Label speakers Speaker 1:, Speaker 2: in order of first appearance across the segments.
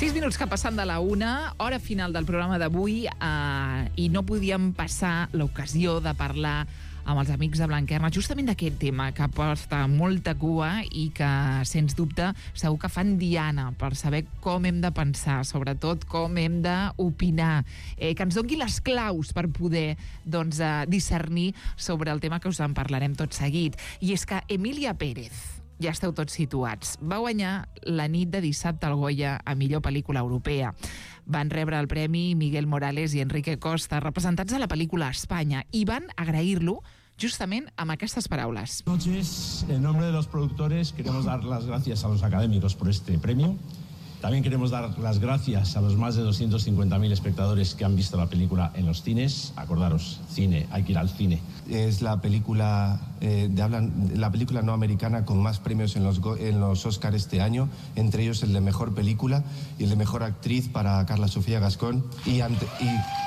Speaker 1: 6 minuts que passen de la 1, hora final del programa d'avui, i no podíem passar l'ocasió de parlar amb els amics de Blanquerna justament d'aquest tema que porta molta cua i que, sens dubte, segur que fan diana per saber com hem de pensar, sobretot com hem d'opinar, que ens doni les claus per poder discernir sobre el tema que us en parlarem tot seguit. I és que Emilia Pérez, ja esteu tots situats, va guanyar la nit de dissabte al Goya a millor pel·lícula europea. Van rebre el premi Miguel Morales i Enrique Costa, representats a la pel·lícula a Espanya, i van agrair-lo justament amb aquestes paraules.
Speaker 2: Noches, en nombre de los productores queremos dar las gracias a los académicos por este premio. También queremos dar las gracias a los más de 250.000 espectadores que han visto la película en los cines. Acordaros, cine, hay que ir al cine.
Speaker 3: Es la película la película no americana con más premios en los Oscar este año, entre ellos el de Mejor Película y el de Mejor Actriz para Carla Sofía Gascón. Y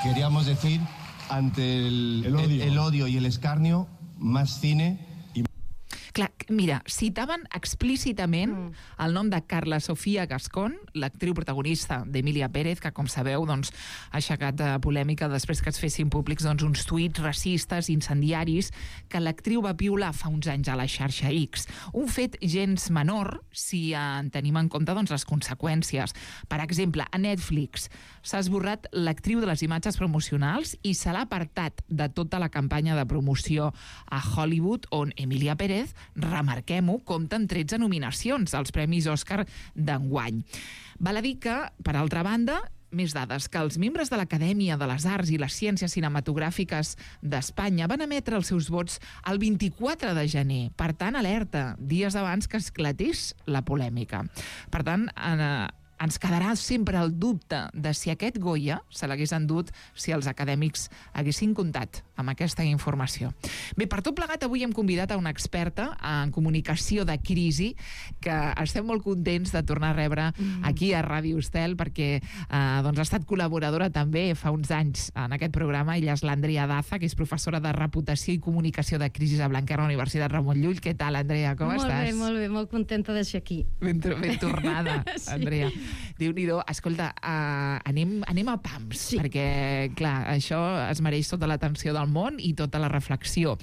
Speaker 3: queríamos decir, ante el odio y el escarnio, más cine.
Speaker 1: Clar, mira, citaven explícitament el nom de Carla Sofía Gascón, l'actriu protagonista d'Emilia Pérez, que, com sabeu, ha aixecat polèmica després que es fessin públics uns tuits racistes, incendiaris, que l'actriu va piular fa uns anys a la xarxa X. Un fet gens menor, si en tenim en compte les conseqüències. Per exemple, a Netflix s'ha esborrat l'actriu de les imatges promocionals i se l'ha apartat de tota la campanya de promoció a Hollywood, on Emilia Pérez, remarquem-ho, compta amb 13 nominacions als Premis Òscar d'enguany. Val a dir que, per altra banda, més dades, que els membres de l'Acadèmia de les Arts i les Ciències Cinematogràfiques d'Espanya van emetre els seus vots el 24 de gener. Per tant, alerta, dies abans que esclatés la polèmica. Per tant, ens quedarà sempre el dubte de si aquest Goya se l'hagués endut si els acadèmics haguessin comptat amb aquesta informació. Bé, per tot plegat, avui hem convidat a una experta en comunicació de crisi que estem molt contents de tornar a rebre aquí a Ràdio Estel, perquè ha estat col·laboradora també fa uns anys en aquest programa. Ella és l'Andrea Daza, que és professora de Reputació i Comunicació de Crisi a Blanquerna, Universitat Ramon Llull. Què tal, Andrea? Com estàs?
Speaker 4: Molt bé, molt contenta de ser aquí.
Speaker 1: Ben tornada, sí. Andrea. Déu-n'hi-do. Escolta, anem a pams, sí. Perquè, clar, això es mereix tota l'atenció del món i tota la reflexió.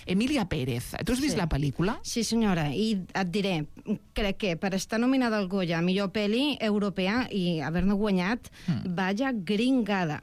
Speaker 1: Emilia Pérez, tu has vist la pel·lícula?
Speaker 4: Sí, senyora, i et diré, crec que per estar nominada al Goya a millor pel·li europea i haver-ne guanyat, vaya gringada.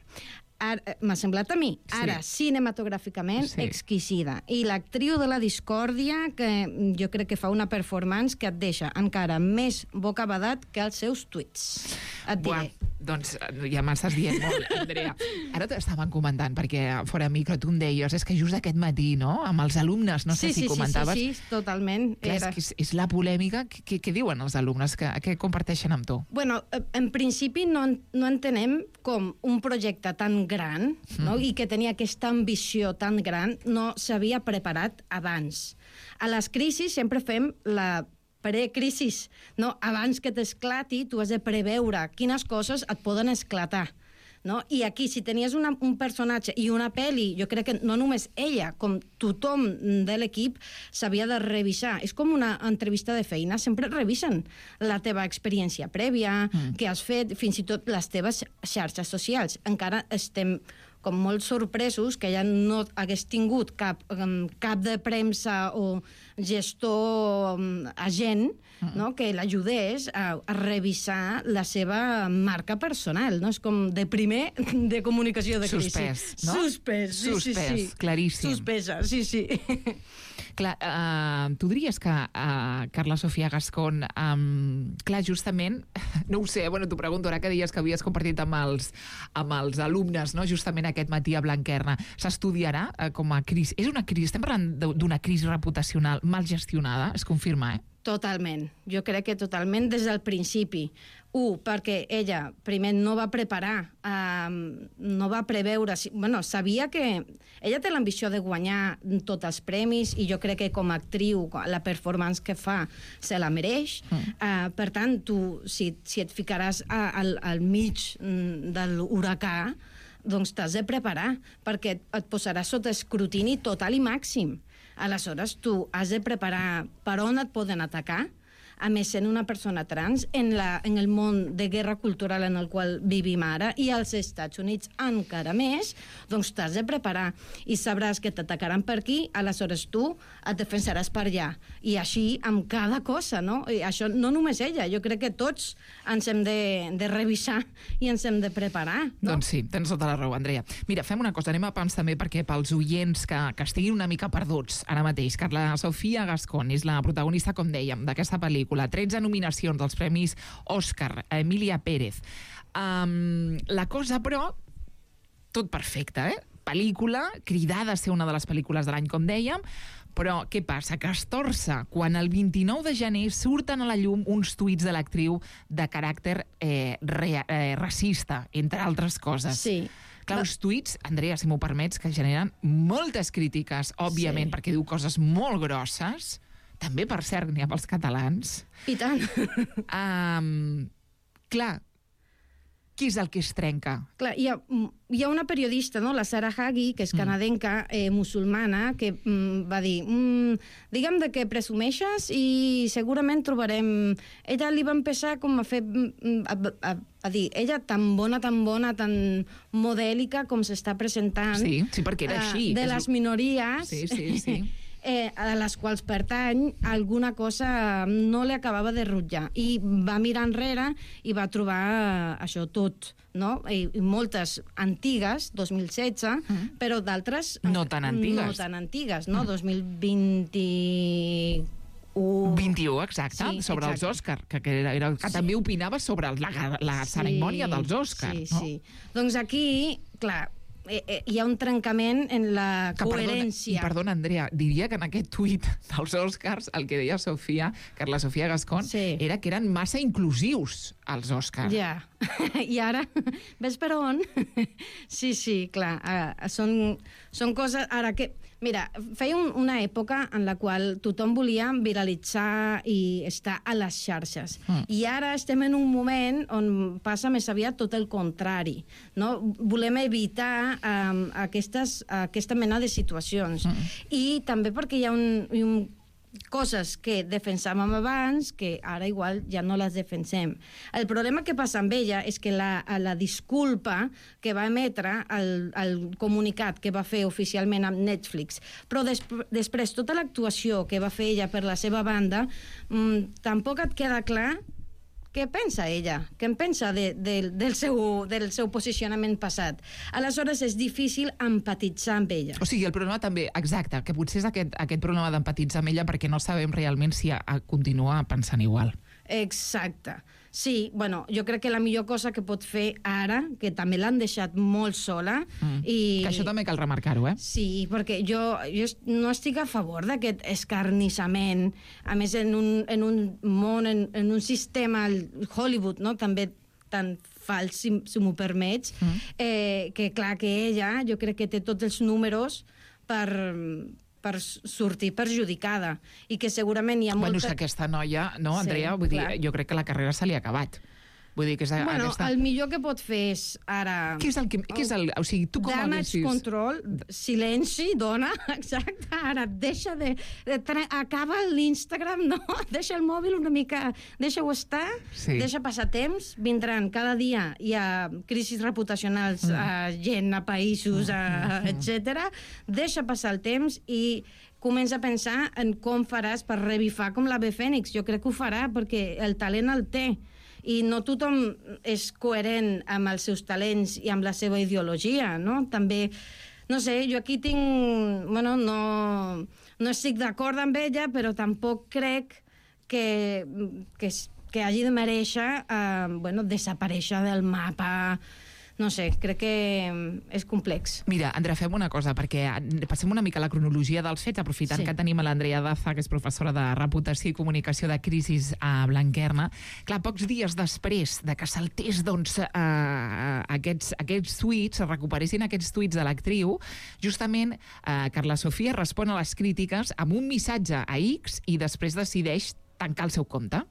Speaker 4: M'ha semblat a mi, ara, cinematogràficament, exquisida. I l'actriu de la discòrdia, que jo crec que fa una performance que et deixa encara més bocabadat que els seus tuits. Et diré.
Speaker 1: Doncs ja m'estàs dient molt, Andrea. Ara t'estaven comentant, perquè fora micro tu em deies, és que just aquest matí, no?, amb els alumnes, no sé si comentaves...
Speaker 4: Sí, totalment.
Speaker 1: Clar, és la polèmica. Què diuen els alumnes? Què comparteixen amb tu?
Speaker 4: Bueno, en principi no entenem com un projecte tan gran, no?, i que tenia aquesta ambició tan gran, no s'havia preparat abans. A les crisis sempre fem la precrisis, no? Abans que t'esclati, tu has de preveure quines coses et poden esclatar. No? I aquí, si tenies un personatge i una pel·li, jo crec que no només ella, com tothom de l'equip s'havia de revisar. És com una entrevista de feina, sempre revisen la teva experiència prèvia, què has fet, fins i tot les teves xarxes socials. Encara estem com molt sorpresos que ella no hagués tingut cap de premsa o gestor agent, no?, que l'ajudés a revisar la seva marca personal, no? És com de primer de comunicació de crisi.
Speaker 1: Suspès, no?
Speaker 4: Suspès,
Speaker 1: claríssim.
Speaker 4: Suspesa, sí.
Speaker 1: Clar, tu diries que Carla Sofía Gascón, clar, justament, no ho sé, bueno, t'ho pregunto, ara que deies que havies compartit amb els alumnes, no?, justament aquest matí a Blanquerna, s'estudiarà com a crisi? És una crisi, estem parlant d'una crisi reputacional mal gestionada, es confirma,
Speaker 4: Totalment. Jo crec que totalment des del principi. Perquè ella primer no va preparar, no va preveure... Bueno, sabia que... Ella té l'ambició de guanyar tots els premis i jo crec que com a actriu la performance que fa se la mereix. Per tant, tu, si et ficaràs al mig de l'huracà, doncs t'has de preparar, perquè et posaràs sota escrutini total i màxim. Aleshores, tu has de preparar per on et poden atacar, a més, sent una persona trans, en el món de guerra cultural en el qual vivim ara, i als Estats Units encara més, doncs t'has de preparar i sabràs que t'atacaran per aquí, aleshores tu et defensaràs per allà. I així amb cada cosa, no? I això no només ella, jo crec que tots ens hem de revisar i ens hem de preparar, no?
Speaker 1: Doncs sí, tens tota la raó, Andrea. Mira, fem una cosa, anem a pams també perquè pels oients que estiguin una mica perduts ara mateix. Carla Sofía Gascón és la protagonista, com dèiem, d'aquesta pel·lícula. 13 nominacions dels premis Òscar, Emilia Pérez. La cosa, però, tot perfecte, eh? Pel·lícula, cridada a ser una de les pel·lícules de l'any, com dèiem, però què passa? Que es torça quan el 29 de gener surten a la llum uns tuits de l'actriu de caràcter racista, entre altres coses.
Speaker 4: Sí.
Speaker 1: Clar, uns tuits, Andrea, si m'ho permets, que generen moltes crítiques, òbviament, perquè diu coses molt grosses, també, per cert, n'hi ha pels catalans.
Speaker 4: I tant.
Speaker 1: Clar, què és el que es trenca?
Speaker 4: Clar, hi ha una periodista, no? La Sarah Hagi, que és canadenca, musulmana, que va dir, digue'm de què presumeixes i segurament trobarem... Ella li va empezar com a fer... a dir, ella tan bona, tan modèlica com s'està presentant...
Speaker 1: Sí, perquè era així.
Speaker 4: De les minories...
Speaker 1: Sí.
Speaker 4: A les quals pertany, alguna cosa no li acabava de rutllar. I va mirar enrere i va trobar això tot, no? I moltes antigues, 2016, però d'altres...
Speaker 1: No tan antigues.
Speaker 4: No tan antigues, no? 2020...
Speaker 1: 21, exacte,
Speaker 4: sí,
Speaker 1: sobre
Speaker 4: exacte.
Speaker 1: els Òscar, que també opinava sobre la cerimònia dels Òscar.
Speaker 4: Sí,
Speaker 1: no?
Speaker 4: sí. Doncs aquí, clar, hi ha un trencament en la coherència.
Speaker 1: Perdona, Andrea, diria que en aquest tuit dels Òscars el que deia Carla Sofía Gascón, era que eren massa inclusius els Òscars.
Speaker 4: Ja, i ara, ves per on? Sí, clar, són coses... Ara que... Mira, feia una època en la qual tothom volia viralitzar i estar a les xarxes. I ara estem en un moment on passa més aviat tot el contrari, no? Volem evitar aquesta mena de situacions. I també perquè hi ha coses que defensàvem abans que ara igual ja no les defensem. El problema que passa amb ella és que la disculpa que va emetre, el comunicat que va fer oficialment amb Netflix, però després tota l'actuació que va fer ella per la seva banda, tampoc et queda clar què pensa ella, què en pensa del seu posicionament passat. Aleshores és difícil empatitzar amb ella.
Speaker 1: O sigui, el problema també, exacte, que potser és aquest problema d'empatitzar amb ella perquè no sabem realment si continua pensant igual.
Speaker 4: Exacte. Sí, bueno, jo crec que la millor cosa que pot fer ara, que també l'han deixat molt sola...
Speaker 1: Que això també cal remarcar-ho, eh?
Speaker 4: Sí, perquè jo no estic a favor d'aquest escarnissament, a més en un món, en un sistema, Hollywood, no?, també tan fals, si m'ho permets, que clar que ella, jo crec que té tots els números per sortir perjudicada i que segurament hi ha molta...
Speaker 1: Bueno, és que aquesta noia, no, Andrea?
Speaker 4: Sí,
Speaker 1: vull dir, jo crec que la carrera se li ha acabat. Vull dir que és aquesta...
Speaker 4: el millor que pot fer és ara...
Speaker 1: Què és el... O sigui, tu com
Speaker 4: damage control, silenci, dona, exacte, ara deixa acaba l'Instagram, no? Deixa el mòbil una mica, deixa-ho estar, deixa passar temps, vindran cada dia, hi ha crisis reputacionals a gent, a països, etc. Deixa passar el temps i comença a pensar en com faràs per revifar com l'Ave Fènix. Jo crec que ho farà perquè el talent el té. I no tothom és coherent amb els seus talents i amb la seva ideologia, no? També, no sé, jo aquí tinc... Bueno, no estic d'acord amb ella, però tampoc crec que hagi de mereixer desaparèixer del mapa. No sé, crec que és complex.
Speaker 1: Mira, Andrea, fem una cosa, perquè passem una mica la cronologia dels fets, aprofitant que tenim a l'Andrea Daza, que és professora de Reputació i Comunicació de Crisis a Blanquerna. Clar, pocs dies després de que saltés aquests tuits, es recuperessin aquests tuits de l'actriu, justament Carla Sofía respon a les crítiques amb un missatge a X i després decideix tancar el seu compte.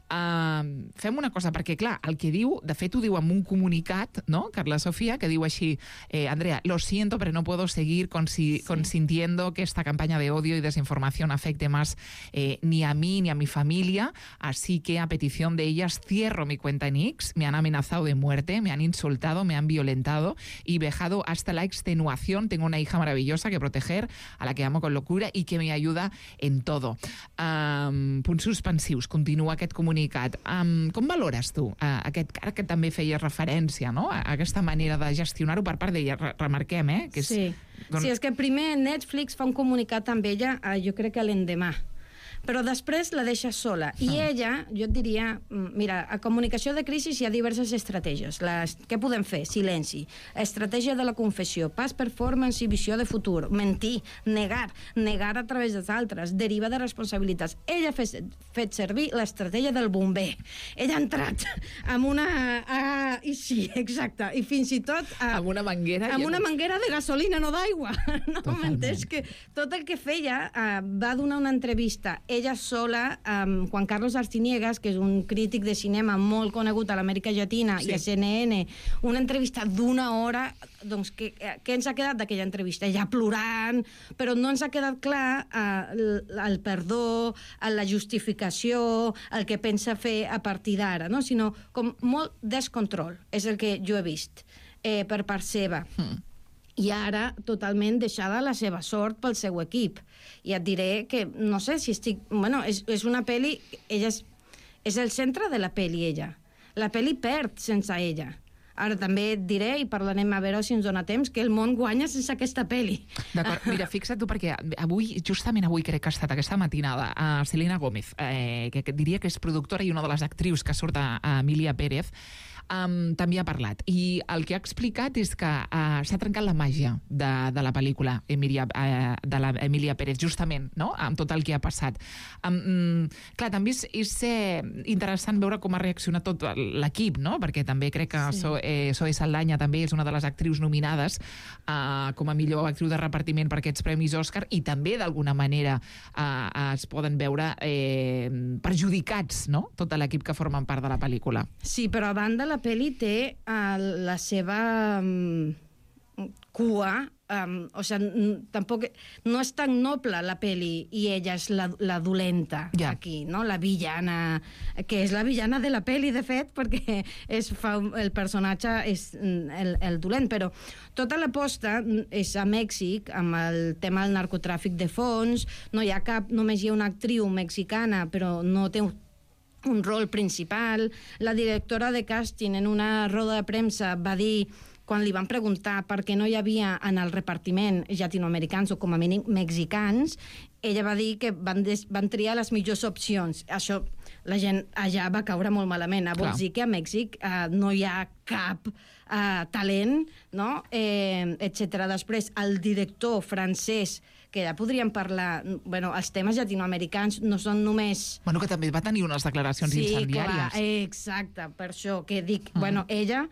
Speaker 1: Fem una cosa, perquè, clar, el que diu, de fet ho diu en un comunicat, no?, Carla Sofía, que diu així, Andrea, lo siento, pero no puedo seguir consintiendo que esta campaña de odio y desinformación afecte más ni a mí ni a mi familia, así que a petición de ellas cierro mi cuenta en X, me han amenazado de muerte, me han insultado, me han violentado y vejado hasta la extenuación. Tengo una hija maravillosa que proteger, a la que amo con locura y que me ayuda en todo. Punts suspensius, continua aquest comunicat. Com valores tu aquest, ara que també feies referència, no?, a aquesta manera de gestionar-ho per part d'ella? Remarquem, que és...
Speaker 4: Sí. Sí, és que primer Netflix fa un comunicat amb ella, jo crec que l'endemà, però després la deixa sola. I ella, jo et diria, mira, a comunicació de crisi hi ha diverses estratègies. Què podem fer? Silenci. Estratègia de la confessió, pas performance i visió de futur, mentir, negar a través dels altres, deriva de responsabilitats. Ella ha fet servir l'estratègia del bomber. Ella ha entrat amb una... I sí, exacte. I fins i tot...
Speaker 1: Amb una manguera.
Speaker 4: Amb una manguera de gasolina, no d'aigua. No m'entens? Que tot el que feia va donar una entrevista ella sola, amb Juan Carlos Arciniegas, que és un crític de cinema molt conegut a l'Amèrica Llatina, i a CNN, una entrevista d'una hora. Doncs què ens ha quedat d'aquella entrevista? Ella plorant, però no ens ha quedat clar el perdó, la justificació, el que pensa fer a partir d'ara, no? Sinó com molt descontrol, és el que jo he vist per part seva. I ara totalment deixada la seva sort pel seu equip. I et diré que, no sé si estic... Bueno, és una pel·li... Ella és el centre de la pel·li, ella. La pel·li perd sense ella. Ara també et diré, i parlarem a veure si ens dona temps, que el món guanya sense aquesta pel·li.
Speaker 1: D'acord, mira, fixa't tu, perquè justament avui crec que ha estat aquesta matinada Selena Gómez, que diria que és productora i una de les actrius que surt a Emilia Pérez, també ha parlat. I el que ha explicat és que s'ha trencat la màgia de la pel·lícula de la Emilia Pérez, justament, no?, amb tot el que ha passat. Clar, també és interessant veure com ha reaccionat tot l'equip, no?, perquè també crec que Zoe Saldana també és una de les actrius nominades com a millor actriu de repartiment per aquests Premis Òscar, i també d'alguna manera es poden veure perjudicats, no?, tot l'equip que formen part de la pel·lícula.
Speaker 4: Sí, però a banda la pel·li té la seva cua, o sigui, tampoc no és tan noble la pel·li i ella és la dolenta aquí, no? La villana, que és la villana de la pel·li, de fet, perquè el personatge és el dolent, però tota l'aposta és a Mèxic, amb el tema del narcotràfic de fons, no hi ha cap, només hi ha una actriu mexicana, però no té un rol principal. La directora de càsting en una roda de premsa va dir, quan li van preguntar per què no hi havia en el repartiment llatinoamericans o com a mínim mexicans, ella va dir que van triar les millors opcions. Això la gent allà va caure molt malament. Vols dir que a Mèxic no hi ha cap talent, no? Etcètera. Després, el director francès, que ja podríem parlar... Bueno, els temes llatinoamericans no són només...
Speaker 1: Bueno, que també va tenir unes declaracions incendiàries.
Speaker 4: Sí, exacte, per això que dic... Bueno, ella,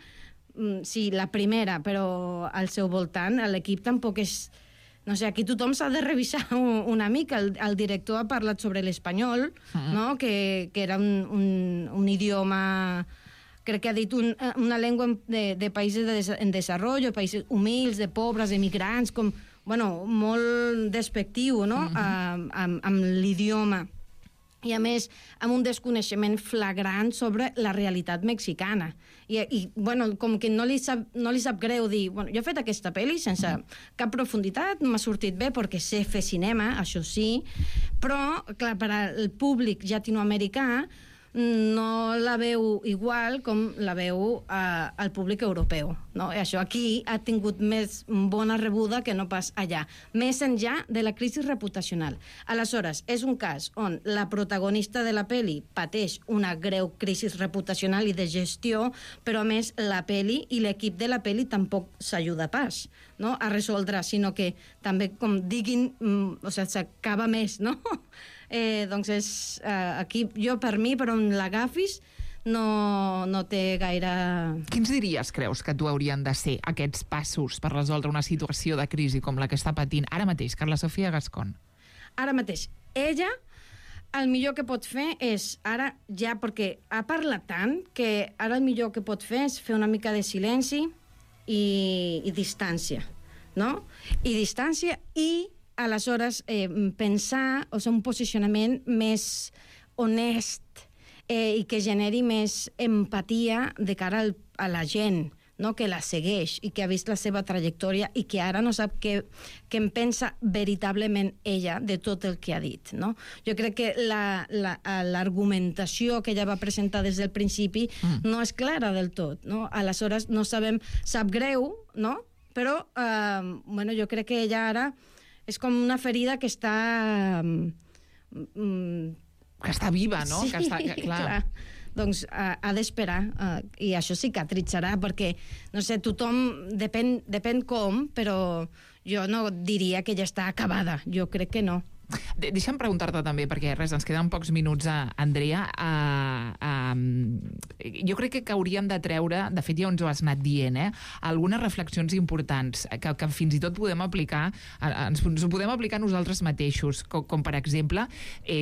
Speaker 4: sí, la primera, però al seu voltant, l'equip tampoc és... No sé, aquí tothom s'ha de revisar una mica. El director ha parlat sobre l'espanyol, no? Que era un idioma... Crec que ha dit una llengua de països en desenvolupament, països humils, de pobres, emigrants, com... Bueno, molt despectiu, no?, amb l'idioma. I, a més, amb un desconeixement flagrant sobre la realitat mexicana. I bueno, com que no li sap greu dir, bueno, jo he fet aquesta pel·li sense cap profunditat, m'ha sortit bé perquè sé fer cinema, això sí, però, clar, per al públic llatinoamericà no la veu igual com la veu al públic europeu, no? I això aquí ha tingut més bona rebuda que no pas allà, més enllà de la crisi reputacional. Aleshores, és un cas on la protagonista de la pel·li pateix una greu crisi reputacional i de gestió, però a més la pel·li i l'equip de la pel·li tampoc s'ajuda pas, no?, a resoldre, sinó que també, com diguin, o sigui, s'acaba més, no? Doncs és aquí, jo per mi, per on l'agafis, no té gaire...
Speaker 1: Quins diries, creus, que tu haurien de ser aquests passos per resoldre una situació de crisi com la que està patint ara mateix Carla Sofía Gascón?
Speaker 4: Ara mateix, ella el millor que pot fer és, ara ja, perquè ha parlat tant, que ara el millor que pot fer és fer una mica de silenci i distància, no? I distància i, aleshores, pensar, o sigui, un posicionament més honest i que generi més empatia de cara a la gent, no? Que la segueix i que ha vist la seva trajectòria i que ara no sap què en pensa veritablement ella de tot el que ha dit, no? Jo crec que l'argumentació que ella va presentar des del principi no és clara del tot, no? Aleshores no sabem, sap greu, no? Però bueno, jo crec que ella ara és com una ferida que està
Speaker 1: que està viva, no?
Speaker 4: Sí,
Speaker 1: que està, clar.
Speaker 4: Doncs ha d'esperar i això cicatritzarà perquè, no sé, tothom depèn com, però jo no diria que ja està acabada, jo crec que no.
Speaker 1: Deixa'm preguntar-te també, perquè res, ens queden pocs minuts, Andrea. Jo crec que hauríem de treure, de fet ja ens ho has anat dient, algunes reflexions importants que fins i tot podem aplicar, ens ho podem aplicar nosaltres mateixos, com per exemple,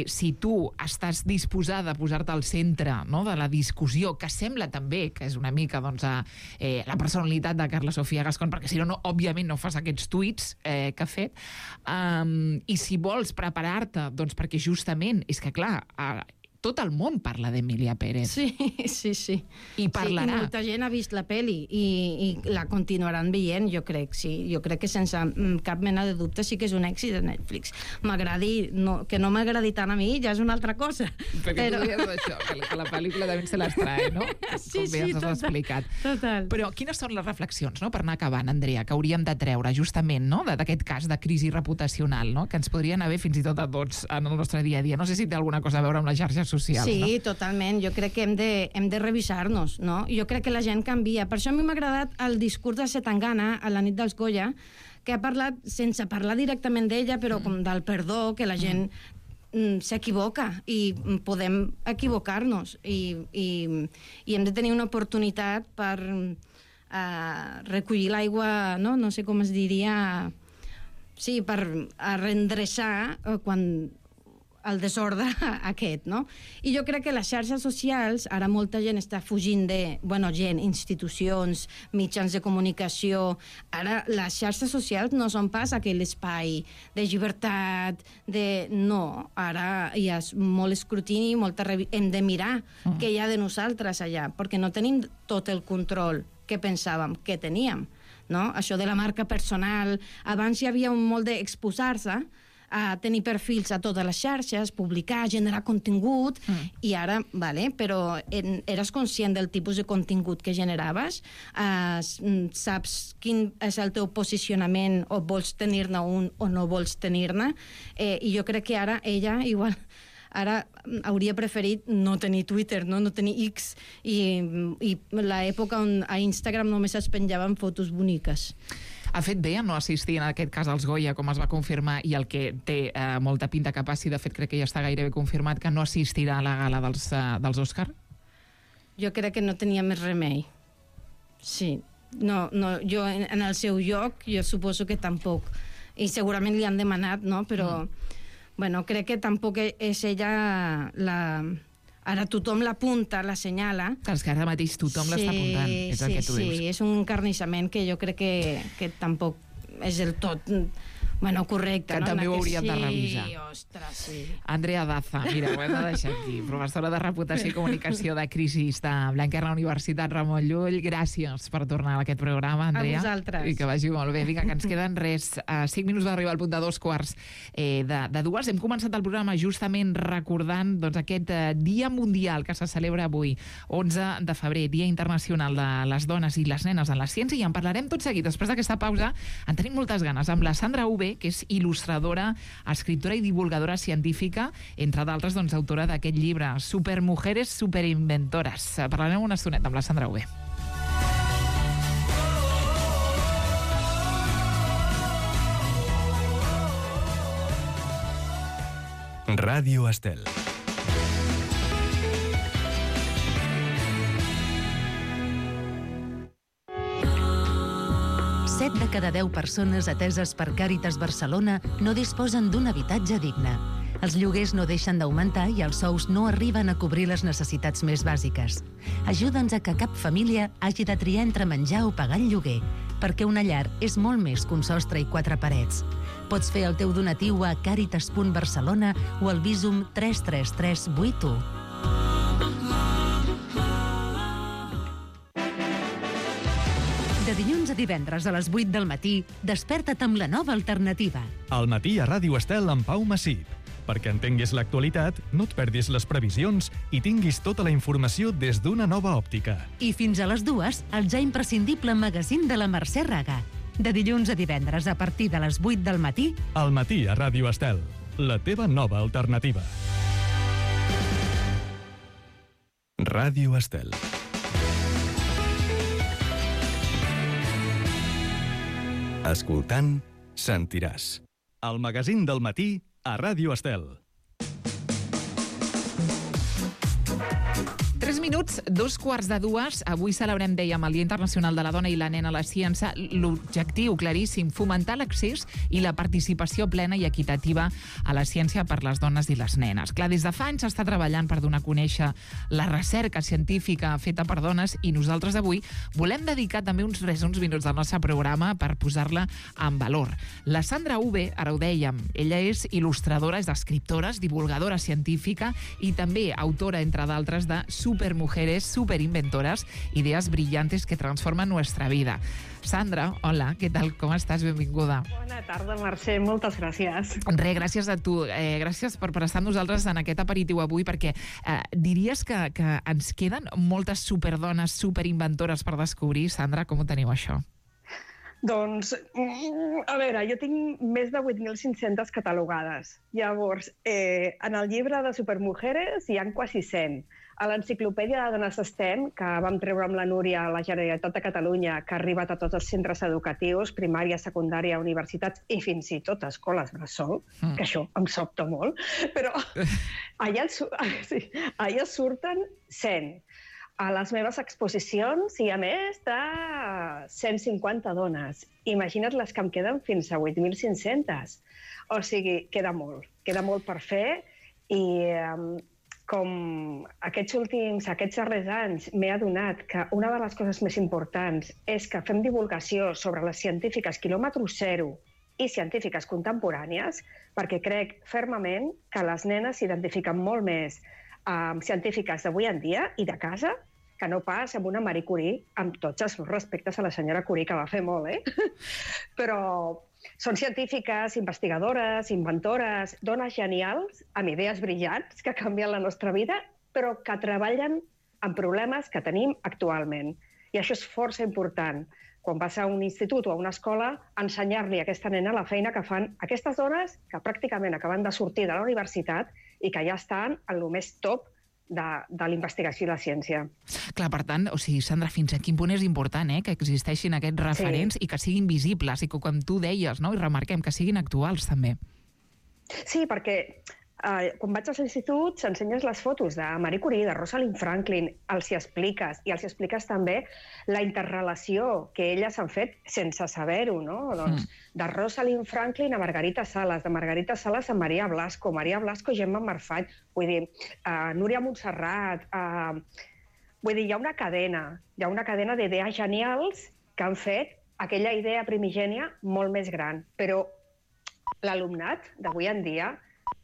Speaker 1: si tu estàs disposada a posar-te al centre, no?, de la discussió, que sembla també que és una mica doncs, la personalitat de Carla Sofia Gascón, perquè si no, òbviament no fas aquests tuits que ha fet, i si vols preparar-te, doncs perquè justament, és que clar, tot el món parla d'Emília Pérez.
Speaker 4: Sí.
Speaker 1: I parlarà.
Speaker 4: Sí, i molta gent ha vist la pel·li i la continuaran veient, jo crec, sí. Jo crec que sense cap mena de dubte sí que és un èxit de Netflix. M'agradi, que no m'agradi tant a mi ja és una altra cosa.
Speaker 1: Perquè tu deies això, que la pel·lícula també se les trae, no?
Speaker 4: Sí,
Speaker 1: com bé ens has explicat.
Speaker 4: Total.
Speaker 1: Però quines són les reflexions, no?, per anar acabant, Andrea, que hauríem de treure justament, no?, d'aquest cas de crisi reputacional, no?, que ens podrien haver fins i tot a tots en el nostre dia a dia. No sé si té alguna cosa a veure amb les xarxes socials,
Speaker 4: sí,
Speaker 1: no?
Speaker 4: Totalment. Jo crec que hem de revisar-nos, no? Jo crec que la gent canvia. Per això a mi m'ha agradat el discurs de Zetangana a la nit dels Goya, que ha parlat, sense parlar directament d'ella, però com del perdó, que la gent s'equivoca i podem equivocar-nos i hem de tenir una oportunitat per recollir l'aigua, no sé com es diria, sí, per reendreçar quan el desordre aquest, no? I jo crec que les xarxes socials, ara molta gent està fugint de, institucions, mitjans de comunicació, ara les xarxes socials no són pas aquell espai de llibertat, no, ara hi ha molt escrutini, hem de mirar què hi ha de nosaltres allà, perquè no tenim tot el control que pensàvem que teníem, no? Això de la marca personal, abans hi havia molt d'exposar-se, a tenir perfils a totes les xarxes, publicar, generar contingut, i ara, però eres conscient del tipus de contingut que generaves? Saps quin és el teu posicionament, o vols tenir-ne un o no vols tenir-ne? I jo crec que ara ella, igual, ara hauria preferit no tenir Twitter, no tenir X, i l'època on a Instagram només es penjaven fotos boniques.
Speaker 1: Ha fet bé en no assistir en aquest cas als Goya, com es va confirmar, i el que té molta pinta que passi, de fet crec que ja està gairebé confirmat, que no assistirà a la gala dels Òscar?
Speaker 4: Jo crec que no tenia més remei. Sí. No, jo en el seu lloc, jo suposo que tampoc. I segurament li han demanat, no? Però, crec que tampoc és ella la... Ara tothom l'apunta, la senyala.
Speaker 1: És que ara mateix tothom l'està apuntant, és el que tu dius.
Speaker 4: Sí, és un encarnissament que jo crec que tampoc és del tot correcte.
Speaker 1: Que també ho hauríem de revisar.
Speaker 4: Sí, ostres, sí.
Speaker 1: Andrea Daza, mira, ho hem de deixar aquí, professora de Reputació i Comunicació de Crisis de Blanquerna Universitat Ramon Llull. Gràcies per tornar a aquest programa, Andrea.
Speaker 4: A vosaltres.
Speaker 1: I que vagi molt bé. Vinga, que ens queden 5 minuts d'arribar al punt de 2:15 de 2. Hem començat el programa justament recordant aquest Dia Mundial que se celebra avui, 11 de febrer, Dia Internacional de les Dones i les Nenes en la Ciència, i en parlarem tot seguit. Després d'aquesta pausa en tenim moltes ganes amb la Sandra Uve, que és il·lustradora, escriptora i divulgadora científica, entre d'altres, autora d'aquest llibre Supermujeres superinventores. Parlarem una estoneta amb la Sandra Uve.
Speaker 5: Ràdio Estel.
Speaker 6: Set de cada 10 persones ateses per Càritas Barcelona no disposen d'un habitatge digne. Els lloguers no deixen d'augmentar i els sous no arriben a cobrir les necessitats més bàsiques. Ajuda'ns a que cap família hagi de triar entre menjar o pagar el lloguer, perquè una llar és molt més que un sostre i 4 parets. Pots fer el teu donatiu a caritas.barcelona o al Bizum 33381. De dilluns a divendres a les 8 del matí, desperta't amb la nova alternativa.
Speaker 5: Al matí a Ràdio Estel amb Pau Massip. Perquè entenguis l'actualitat, no et perdis les previsions i tinguis tota la informació des d'una nova òptica.
Speaker 6: I fins a les 2, el ja imprescindible magazín de la Mercè Raga. De dilluns a divendres a partir de les 8 del matí...
Speaker 5: Al matí a Ràdio Estel, la teva nova alternativa. Ràdio Estel. Escoltant, sentiràs. El magazín del matí a Ràdio Estel.
Speaker 1: 3 minuts, 2:15. Avui celebrem, dèiem, el Dia Internacional de la Dona i la Nena a la Ciència. L'objectiu claríssim, fomentar l'accés i la participació plena i equitativa a la ciència per les dones i les nenes. Clar, des de fa anys s'està treballant per donar a conèixer la recerca científica feta per dones i nosaltres avui volem dedicar també uns minuts del nostre programa per posar-la en valor. La Sandra Uve, ara ho dèiem, ella és il·lustradora, és escriptora, és divulgadora científica i també autora, entre d'altres, de Supermujeres, superinventoras, ideas brillantes que transforman nuestra vida. Sandra, hola, què tal? Com estàs? Benvinguda.
Speaker 7: Bona tarda, Mercè, moltes gràcies.
Speaker 1: Gràcies a tu. Gràcies per estar amb nosaltres en aquest aperitiu avui, perquè diries que ens queden moltes superdones, superinventores per descobrir. Sandra, com ho teniu, això?
Speaker 7: Doncs, a veure, jo tinc més de 8.500 catalogades. Llavors, en el llibre de Supermujeres hi ha quasi 100. A l'enciclopèdia de Dones STEM, que vam treure amb la Núria a la Generalitat de Catalunya, que ha arribat a tots els centres educatius, primària, secundària, universitats i fins i tot escoles bressol, que això em sobta molt, però allà surten 100. A les meves exposicions hi ha més de 150 dones. Imagina't les que em queden fins a 8.500. O sigui, queda molt per fer i com aquests darrers anys m'he adonat que una de les coses més importants és que fem divulgació sobre les científiques quilòmetre zero i científiques contemporànies, perquè crec fermament que les nenes s'identifiquen molt més amb científiques d'avui en dia i de casa que no pas amb una Marie Curie, amb tots els respectes a la senyora Curie, que va fer molt, Però són científiques, investigadores, inventores, dones genials, amb idees brillants que canvien la nostra vida, però que treballen amb problemes que tenim actualment. I això és força important. Quan vas a un institut o a una escola, ensenyar-li a aquesta nena la feina que fan aquestes dones que pràcticament acaben de sortir de la universitat i que ja estan en el més top de la investigació i la ciència.
Speaker 1: Clar, per tant, o sigui, Sandra, fins a quin punt és important que existeixin aquests referents i que siguin visibles i que, com tu deies, i remarquem, que siguin actuals, també.
Speaker 7: Sí, perquè quan vaig als instituts ensenyes les fotos de Marie Curie, de Rosalind Franklin, els hi expliques també la interrelació que elles han fet sense saber-ho, no? Doncs de Rosalind Franklin a Margarita Salas, de Margarita Salas a Maria Blasco, Maria Blasco, Gemma Marfall, vull dir, Núria Montserrat, vull dir, hi ha una cadena d'idees genials que han fet aquella idea primigènia molt més gran, però l'alumnat d'avui en dia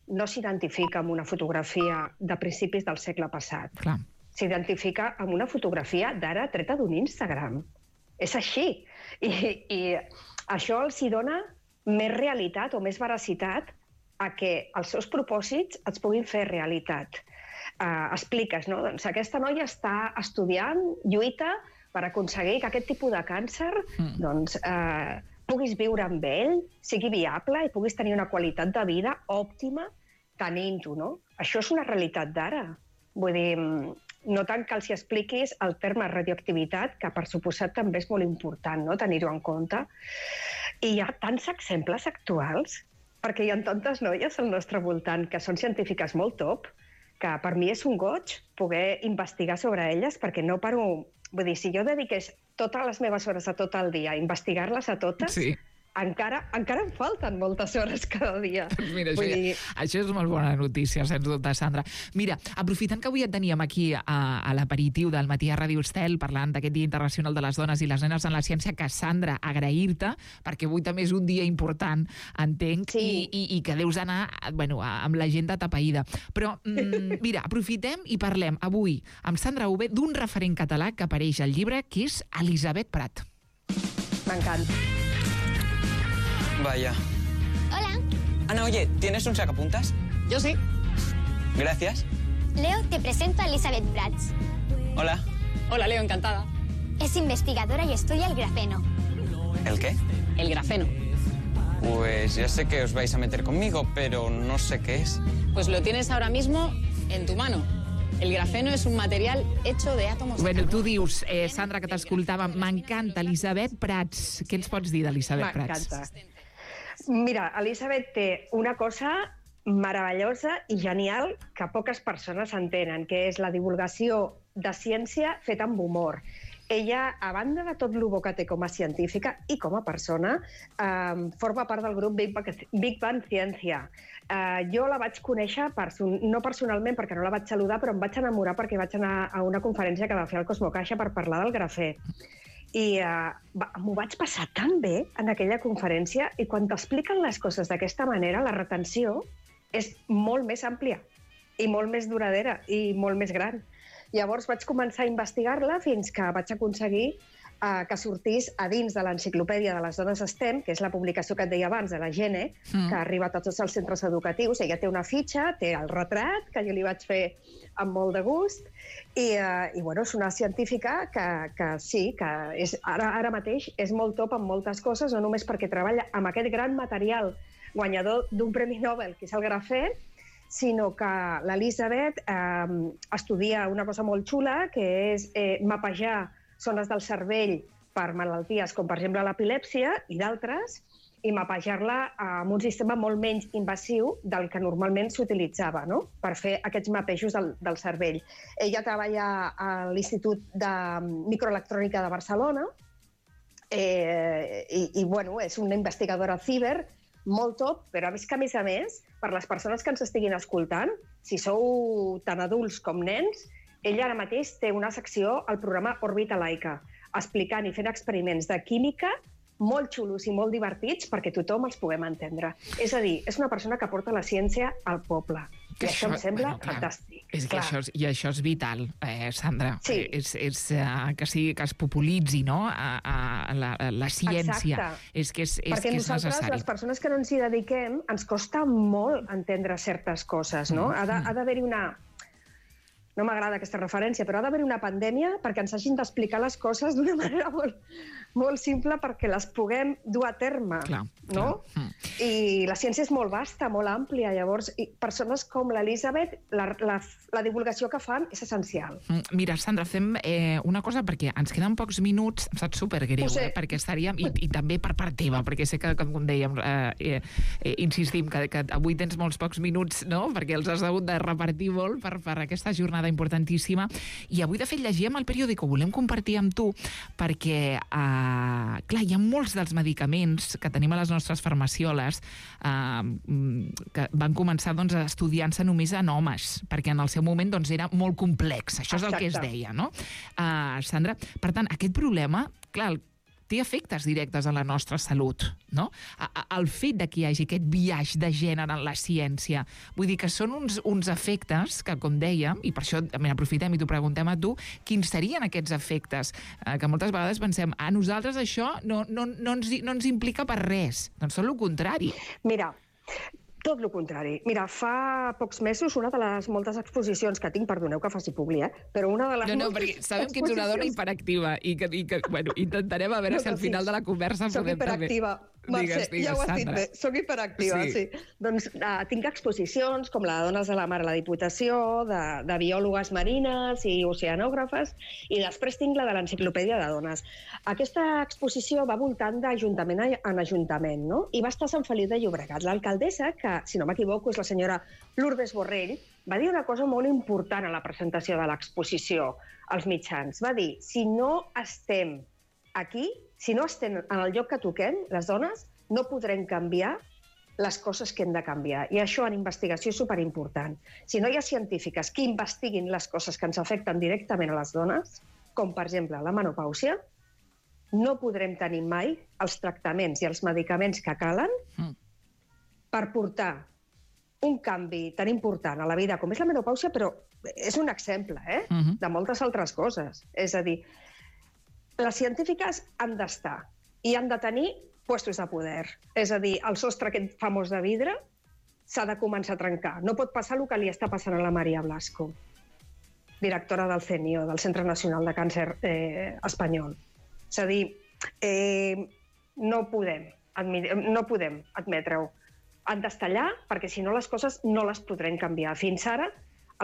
Speaker 7: no s'identifica amb una fotografia de principis del segle passat.
Speaker 1: Clar.
Speaker 7: S'identifica amb una fotografia d'ara treta d'un Instagram. És així. I això els hi dona més realitat o més veracitat a que els seus propòsits es puguin fer realitat. Expliques, no? Doncs aquesta noia està estudiant, lluita per aconseguir que aquest tipus de càncer puguis viure amb ell, sigui viable i puguis tenir una qualitat de vida òptima tenint-ho, no? Això és una realitat d'ara. Vull dir, no tant que els hi expliquis el terme radioactivitat, que per suposat també és molt important, no?, tenir-ho en compte. I hi ha tants exemples actuals, perquè hi ha tantes noies al nostre voltant que són científiques molt top, que per mi és un goig poder investigar sobre elles, perquè no paro... Vull dir, si jo dediqués totes les meves hores a tot el dia a investigar-les a totes, encara em falten moltes hores cada dia.
Speaker 1: Mira, això és molt bona notícia, sens dubte, Sandra. Mira, aprofitant que avui et teníem aquí a l'aperitiu del matí a Ràdio Estel, parlant d'aquest Dia Internacional de les Dones i les Nenes en la Ciència, que, Sandra, agrair-te, perquè avui també és un dia important, entenc, i que deus anar amb l'agenda tapaïda. Però, mira, aprofitem i parlem avui amb Sandra Uve d'un referent català que apareix al llibre, que és Elisabet Prat.
Speaker 7: M'encanta.
Speaker 8: Vaya.
Speaker 9: Hola.
Speaker 8: Ana, oye, ¿tienes un sacapuntas?
Speaker 9: Yo sí.
Speaker 8: Gracias.
Speaker 9: Leo, te presento a Elisabet Prats.
Speaker 8: Hola.
Speaker 10: Hola, Leo, encantada.
Speaker 9: Es investigadora y estudia el grafeno.
Speaker 8: ¿El qué?
Speaker 10: El grafeno.
Speaker 8: Pues ya sé que os vais a meter conmigo, pero no sé qué es.
Speaker 10: Pues lo tienes ahora mismo en tu mano. El grafeno es un material hecho de átomos...
Speaker 1: Bueno, tu dius, Sandra, que t'escoltava, m'encanta Elisabet Prats. Què ens pots dir d'Elisabet Prats?
Speaker 7: M'encanta. Mira, Elisabet té una cosa meravellosa i genial que poques persones entenen, que és la divulgació de ciència feta amb humor. Ella, a banda de tot el bo que té com a científica i com a persona, forma part del grup Big Bang Ciència. Jo la vaig conèixer, no personalment perquè no la vaig saludar, però em vaig enamorar perquè vaig anar a una conferència que va fer el Cosmocaixa per parlar del grafè. I m'ho vaig passar tan bé en aquella conferència, i quan t'expliquen les coses d'aquesta manera, la retenció és molt més àmplia i molt més duradera i molt més gran. Llavors vaig començar a investigar-la fins que vaig aconseguir que sortís a dins de l'Enciclopèdia de les Dones STEM, que és la publicació que et deia abans, de la Gene, que ha arribat a tots els centres educatius. Ella té una fitxa, té el retrat, que jo li vaig fer amb molt de gust, i és una científica que sí, que ara mateix és molt top en moltes coses, no només perquè treballa amb aquest gran material guanyador d'un Premi Nobel, que és el grafè, sinó que l'Elisabet estudia una cosa molt xula, que és mapejar zones del cervell per malalties com, per exemple, l'epilèpsia i d'altres, i mapejar-la amb un sistema molt menys invasiu del que normalment s'utilitzava, no?, per fer aquests mapejos del cervell. Ella treballa a l'Institut de Microelectrònica de Barcelona i és una investigadora ciber molt top, però és que, a més, per les persones que ens estiguin escoltant, si sou tant adults com nens, ella ara mateix té una secció al programa Òrbita Laica, explicant i fent experiments de química molt xulos i molt divertits perquè tothom els puguem entendre. És a dir, és una persona que porta la ciència al poble. I això em sembla fantàstic.
Speaker 1: Això és vital, Sandra.
Speaker 7: Sí.
Speaker 1: Que es populitzi, no?, la ciència.
Speaker 7: Exacte.
Speaker 1: Perquè
Speaker 7: nosaltres, les persones que no ens hi dediquem, ens costa molt entendre certes coses, no? Ha d'haver-hi una... No m'agrada aquesta referència, però ha d'haver una pandèmia perquè ens hagin d'explicar les coses d'una manera molt simple perquè les puguem dur a terme, no? I la ciència és molt vasta, molt àmplia, llavors persones com l'Elisabet, la divulgació que fan és essencial.
Speaker 1: Mira, Sandra, fem una cosa perquè ens queden pocs minuts, em sap supergreu, perquè estaríem, i també per part teva, perquè sé que, com dèiem, insistim que avui tens molts pocs minuts, no?, perquè els has hagut de repartir molt per aquesta jornada importantíssima, i avui de fet llegíem el periòdic, ho volem compartir amb tu perquè, clar, hi ha molts dels medicaments que tenim a les nostres farmacioles que van començar estudiant-se només en homes, perquè en el seu moment era molt complex, això és el que es deia, no? Sandra, per tant, aquest problema, clar, té efectes directes a la nostra salut, no? El fet de que hi hagi aquest biaix de gènere en la ciència, vull dir que són uns efectes que, com dèiem, i per això aprofitem i t'ho preguntem a tu, quins serien aquests efectes? Que moltes vegades pensem, a nosaltres això no ens implica per res, doncs són el contrari.
Speaker 7: Mira, tot el contrari. Mira, fa pocs mesos, una de les moltes exposicions que tinc, perdoneu que faci publi, però una de les
Speaker 1: moltes perquè sabem que ets una dona hiperactiva i que intentarem a veure si al final de la conversa podem també...
Speaker 7: Soc hiperactiva. Mercè, ja ho has dit bé, soc hiperactiva, sí. Doncs tinc exposicions com la de Dones de la Mar a la Diputació, de biòlogues marines i oceanògrafes, i després tinc la de l'Enciclopèdia de Dones. Aquesta exposició va voltant d'ajuntament en ajuntament, no? I va estar a Sant Feliu de Llobregat. L'alcaldessa, que, si no m'equivoco, és la senyora Lourdes Borrell, va dir una cosa molt important a la presentació de l'exposició als mitjans. Va dir, si no estem aquí, si no estem en el lloc que toquem, les dones, no podrem canviar les coses que hem de canviar. I això en investigació és superimportant. Si no hi ha científiques que investiguin les coses que ens afecten directament a les dones, com per exemple la menopàusia, no podrem tenir mai els tractaments i els medicaments que calen per portar un canvi tan important a la vida com és la menopàusia, però és un exemple de moltes altres coses. És a dir, les científiques han d'estar i han de tenir puestos de poder. És a dir, el sostre aquest famós de vidre s'ha de començar a trencar. No pot passar el que li està passant a la Maria Blasco, directora del CNIO, del Centre Nacional de Càncer espanyol. És a dir, no podem admetre-ho. Han d'estar allà perquè, si no, les coses no les podrem canviar. Fins ara,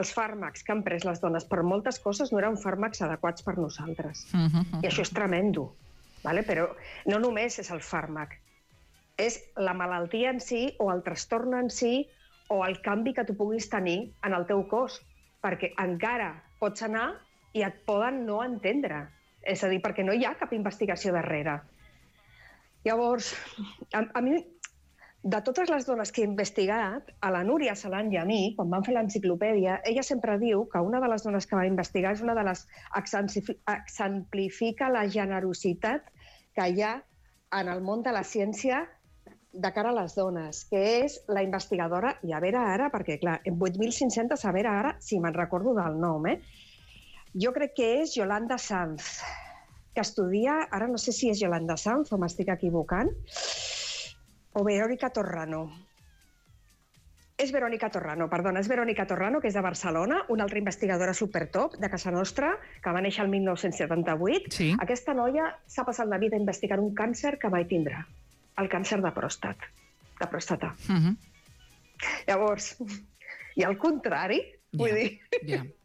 Speaker 7: els fàrmacs que han pres les dones per moltes coses no eren fàrmacs adequats per nosaltres. I això és tremendo. Però no només és el fàrmac, és la malaltia en si o el trastorn en si o el canvi que tu puguis tenir en el teu cos, perquè encara pots anar i et poden no entendre. És a dir, perquè no hi ha cap investigació darrere. Llavors, a mi, de totes les dones que he investigat, a la Núria Salant i a mi, quan vam fer l'enciclopèdia, ella sempre diu que una de les dones que va investigar és una de les que exemplifica la generositat que hi ha en el món de la ciència de cara a les dones, que és la investigadora, i a veure ara, perquè clar, en 8.500, a veure ara si me'n recordo del nom, jo crec que és Yolanda Sanz, que estudia, ara no sé si és Yolanda Sanz o m'estic equivocant, o Verónica Torrano. És Verónica Torrano, que és de Barcelona, una altra investigadora supertop de casa nostra, que va néixer el 1978.
Speaker 1: Sí.
Speaker 7: Aquesta noia s'ha passat la vida investigant un càncer que mai tindrà, el càncer de pròstata. Llavors, i al contrari, vull dir,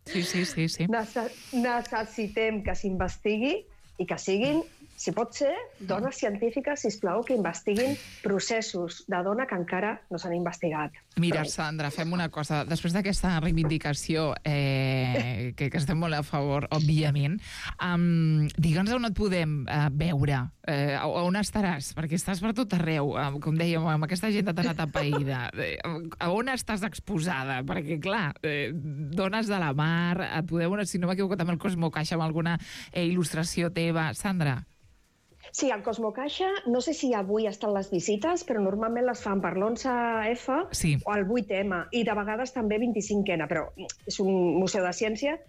Speaker 1: Sí.
Speaker 7: necessitem que s'investigui i que siguin, si pot ser, dones científiques, sisplau, que investiguin processos de dona que encara no s'han investigat.
Speaker 1: Mira, Sandra, fem una cosa. Després d'aquesta reivindicació, que estem molt a favor, òbviament, digue'ns on et podem veure, on estaràs, perquè estàs per tot arreu, com dèiem, amb aquesta agenda tan atapeïda. On estàs exposada? Perquè, clar, dones de la mar, et podeu, si no m'equivoco, també el Cosmocaixa amb alguna il·lustració teva. Sandra?
Speaker 7: Sí, al Cosmocaixa, no sé si avui estan les visites, però normalment les fan per l'11F o el 8M, i de vegades també 25N, però és un museu de ciència.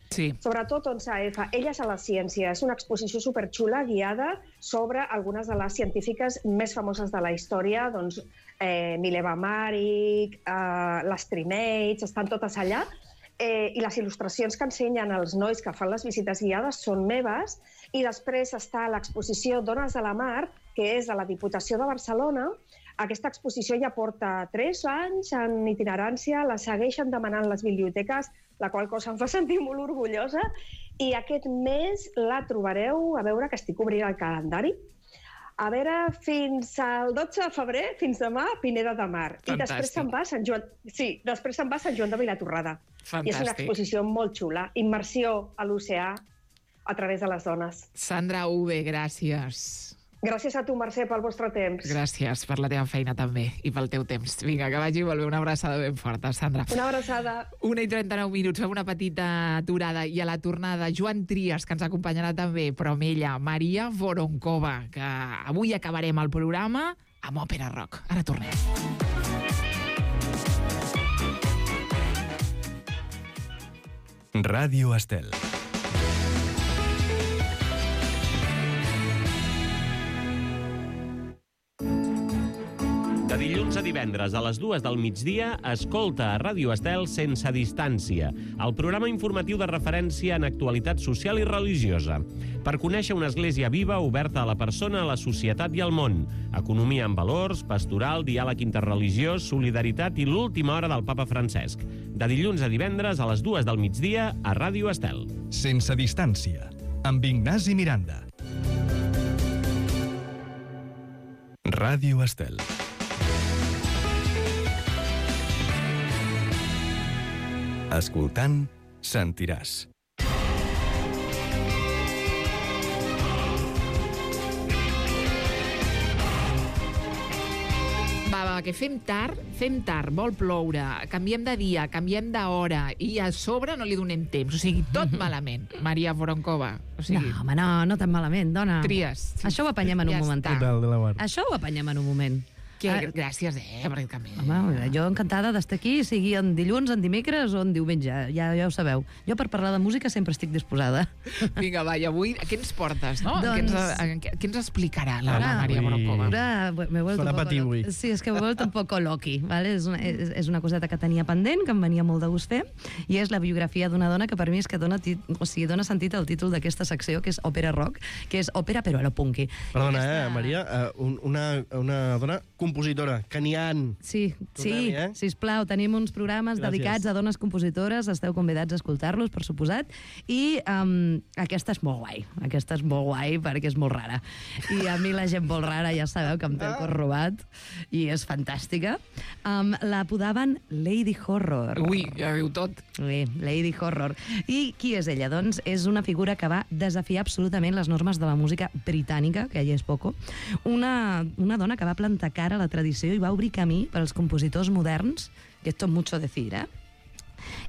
Speaker 7: Sobretot 11F, Elles a la ciència. És una exposició superxula, guiada sobre algunes de les científiques més famoses de la història, doncs Mileva Maric, les Trimates, estan totes allà. I les il·lustracions que ensenyen els nois que fan les visites guiades són meves, i després està l'exposició Dones de la Mar, que és de la Diputació de Barcelona. Aquesta exposició ja porta 3 anys en itinerància, la segueixen demanant les biblioteques, la qual cosa em fa sentir molt orgullosa, i aquest mes la trobareu, a veure que estic obrint el calendari, a veure, fins al 12 de febrer, fins demà, Pineda de Mar.
Speaker 1: Fantàstic.
Speaker 7: I després se'n va a Sant Joan... Sí, després se'n va a Sant Joan de Vilatorrada.
Speaker 1: Fantàstic.
Speaker 7: I és una exposició molt xula. Immersió a l'oceà a través de les dones.
Speaker 1: Sandra Uve, gràcies.
Speaker 7: Gràcies a tu, Mercè, pel vostre temps.
Speaker 1: Gràcies per la teva feina també i pel teu temps. Vinga, que vagi molt bé. Una abraçada ben forta, Sandra.
Speaker 7: Una abraçada.
Speaker 1: 1:39 minuts, fem una petita aturada i a la tornada Joan Trias, que ens acompanyarà també, però amb ella Maria Voronkova, que avui acabarem el programa amb òpera rock. Ara tornem.
Speaker 5: Ràdio Estel.
Speaker 11: De dilluns a divendres a les 2 del migdia, escolta a Ràdio Estel Sense Distància, el programa informatiu de referència en actualitat social i religiosa, per conèixer una església viva oberta a la persona, a la societat i al món, economia amb valors, pastoral, diàleg interreligiós, solidaritat i l'última hora del papa Francesc. De dilluns a divendres a les 2 del migdia a Ràdio Estel.
Speaker 5: Sense Distància, amb Ignasi Miranda. Ràdio Estel. Escoltant, sentiràs.
Speaker 1: Va, que fem tard, vol ploure, canviem de dia, canviem d'hora, i a sobre no li donem temps. O sigui, tot malament, Maria Voronkova. O sigui,
Speaker 12: No, home, no tan malament, dona.
Speaker 1: Tries.
Speaker 12: Això ho apanyem en un momentet. Això ho apanyem en un moment.
Speaker 1: Gràcies, perquè també...
Speaker 12: Home, jo encantada d'estar aquí, sigui en dilluns, en dimecres o en diumenge, ja ho sabeu. Jo per parlar de música sempre estic disposada.
Speaker 1: Vinga, va, i avui què ens portes, no?
Speaker 12: Doncs...
Speaker 1: Què ens explicarà la Maria Voronkova?
Speaker 12: Farà
Speaker 13: patir avui.
Speaker 12: Sí, és que m'he vuelto un poco loqui, ¿vale? És una coseta que tenia pendent, que em venia molt de gust fer, i és la biografia d'una dona que per mi és que dona sentit al títol d'aquesta secció, que és Òpera Rock, que és òpera però a lo punky.
Speaker 13: Perdona, Maria, una dona compositora, que n'hi ha.
Speaker 12: Sí, sisplau, tenim uns programes dedicats a dones compositores, esteu convidats a escoltar-los, per suposat, i aquesta és molt guai, perquè és molt rara. I a mi la gent molt rara ja sabeu que em té el cor robat, i és fantàstica. La apodaven Lady Horror.
Speaker 1: Ui, ja veu tot.
Speaker 12: Bé, Lady Horror. I qui és ella? Doncs és una figura que va desafiar absolutament les normes de la música britànica, que ja és poco, una dona que va plantar cara a la tradició i va obrir camí per als compositors moderns, que esto es mucho decir,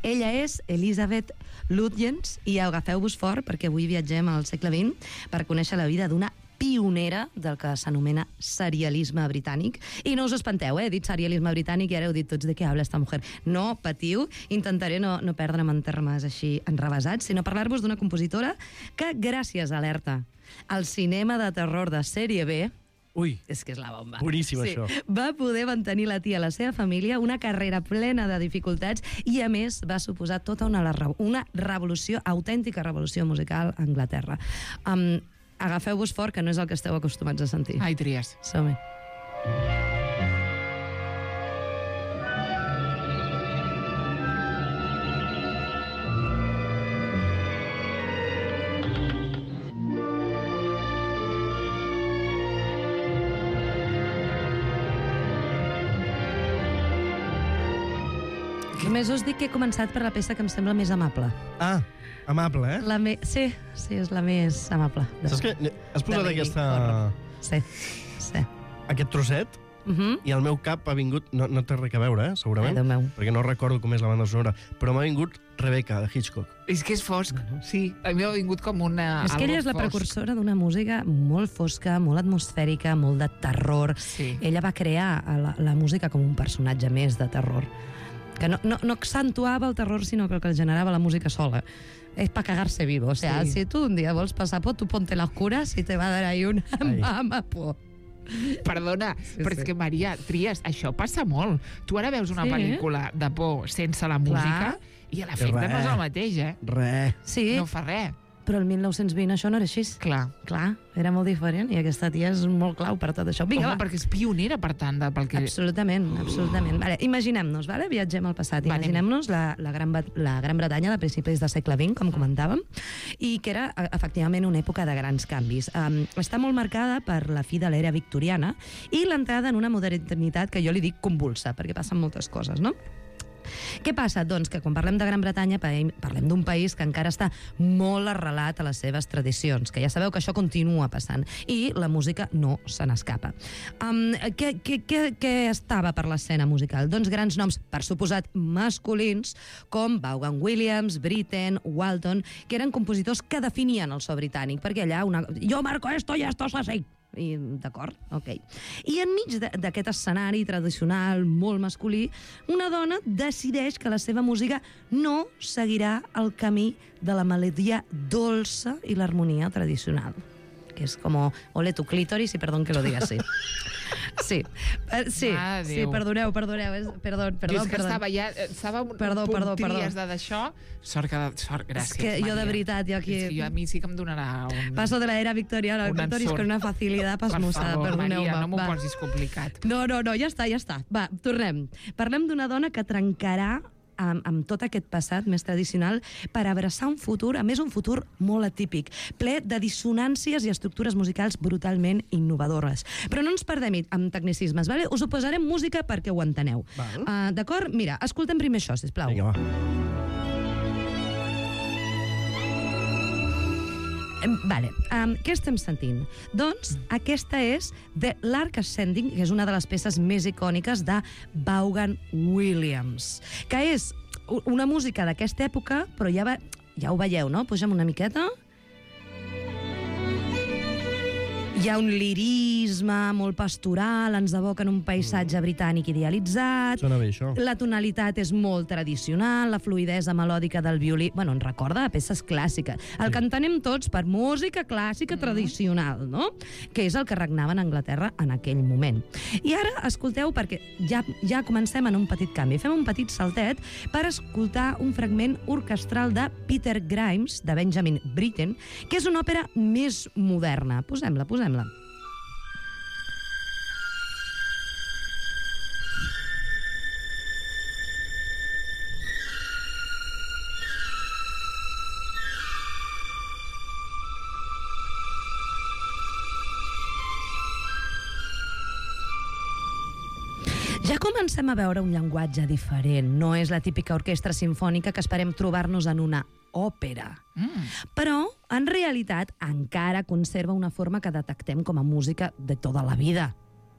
Speaker 12: Ella és Elizabeth Lutyens, i agafeu-vos fort, perquè avui viatgem al segle XX per conèixer la vida d'una pionera del que s'anomena serialisme britànic. I no us espanteu, he dit serialisme britànic i ara heu dit tots de què habla esta mujer. No patiu, intentaré no perdre'm en termes així enrevesats, sinó parlar-vos d'una compositora que, gràcies a alerta, al cinema de terror de sèrie B, és que és la bomba.
Speaker 13: Boníssim, això.
Speaker 12: Va poder mantenir la tia a la seva família, una carrera plena de dificultats, i a més va suposar tota una revolució, autèntica revolució musical a Anglaterra. Agafeu-vos fort, que no és el que esteu acostumats a sentir.
Speaker 1: Ai, Tries.
Speaker 12: Som-hi. Només us dic que he començat per la peça que em sembla més amable.
Speaker 13: Amable,
Speaker 12: Sí, és la més amable.
Speaker 13: Saps què? Has posat aquesta...
Speaker 12: Sí.
Speaker 13: Aquest trosset, i al meu cap ha vingut... No té res a veure, segurament, perquè no recordo com és la banda sonora, però m'ha vingut Rebecca, de Hitchcock.
Speaker 1: És que és fosc, sí. A mi m'ha vingut com una...
Speaker 12: És que ella és la precursora d'una música molt fosca, molt atmosfèrica, molt de terror. Ella va crear la música com un personatge més de terror, que no accentuava el terror, sinó que el que generava la música sola. Es para cagarse vivo. O sea, si tú un día vols passar por, tú ponte la oscura, si te va a dar ahí una mama por...
Speaker 1: Perdona, però és que, Maria, Tries, això passa molt. Tu ara veus una pel·lícula de por sense la música i l'efecte no és el mateix, No fa res.
Speaker 12: Però el 1920 això no era així.
Speaker 1: Clar,
Speaker 12: era molt diferent, i aquesta tia és molt clau per tot això. Vinga,
Speaker 1: perquè és pionera, per tant, pel que...
Speaker 12: Absolutament. Vale, imaginem-nos, viatgem al passat. Imaginem-nos la Gran Bretanya de principis del segle XX, com comentàvem, i que era, efectivament, una època de grans canvis. Està molt marcada per la fi de l'era victoriana i l'entrada en una modernitat que jo li dic convulsa, perquè passen moltes coses, no? Què passa? Doncs que quan parlem de Gran Bretanya parlem d'un país que encara està molt arrelat a les seves tradicions, que ja sabeu que això continua passant, i la música no se n'escapa. Què estava per l'escena musical? Doncs grans noms, per suposat masculins, com Vaughan Williams, Britten, Walton, que eren compositors que definien el so britànic, perquè allà jo marco esto i esto es así. D'acord? Ok. I enmig d'aquest escenari tradicional molt masculí, una dona decideix que la seva música no seguirà el camí de la melodia dolça i l'harmonia tradicional, que és com ole tu clítoris, i perdó que lo diga así. Sí, perdoneu. Perdó.
Speaker 1: És que estava un punt d'això. Sort, gràcies,
Speaker 12: És que jo de veritat, jo aquí...
Speaker 1: A mi sí que em donarà un...
Speaker 12: Paso de la era victoriana al clítoris con una facilitat pasmosa.
Speaker 1: Per favor, Maria, no m'ho posis complicat.
Speaker 12: No, ja està. Va, tornem. Parlem d'una dona que trencarà amb tot aquest passat més tradicional per abraçar un futur, a més un futur molt atípic, ple de dissonàncies i estructures musicals brutalment innovadores. Però no ens perdem amb tecnicismes, vale? Us ho posarem música perquè ho enteneu. D'acord? Mira, escoltem primer això, sisplau.
Speaker 13: Vinga, va.
Speaker 12: Vale, què estem sentint? Doncs aquesta és The Lark Ascending, que és una de les peces més icòniques de Vaughan Williams, que és una música d'aquesta època, però ja ho veieu, no? Pugem una miqueta. Hi ha un lirisme molt pastoral, ens evoca en un paisatge britànic idealitzat.
Speaker 13: Sona bé, això.
Speaker 12: La tonalitat és molt tradicional, la fluidesa melòdica del violí... Bueno, ens recorda a peces clàssiques. El que entenem tots per música clàssica tradicional, no? Que és el que regnava a Anglaterra en aquell moment. I ara, escolteu, perquè ja comencem en un petit canvi. Fem un petit saltet per escoltar un fragment orquestral de Peter Grimes, de Benjamin Britten, que és una òpera més moderna. Posem-la. Ja comencem a veure un llenguatge diferent. No és la típica orquestra simfònica que esperem trobar-nos en una òpera. Però, en realitat, encara conserva una forma que detectem com a música de tota la vida.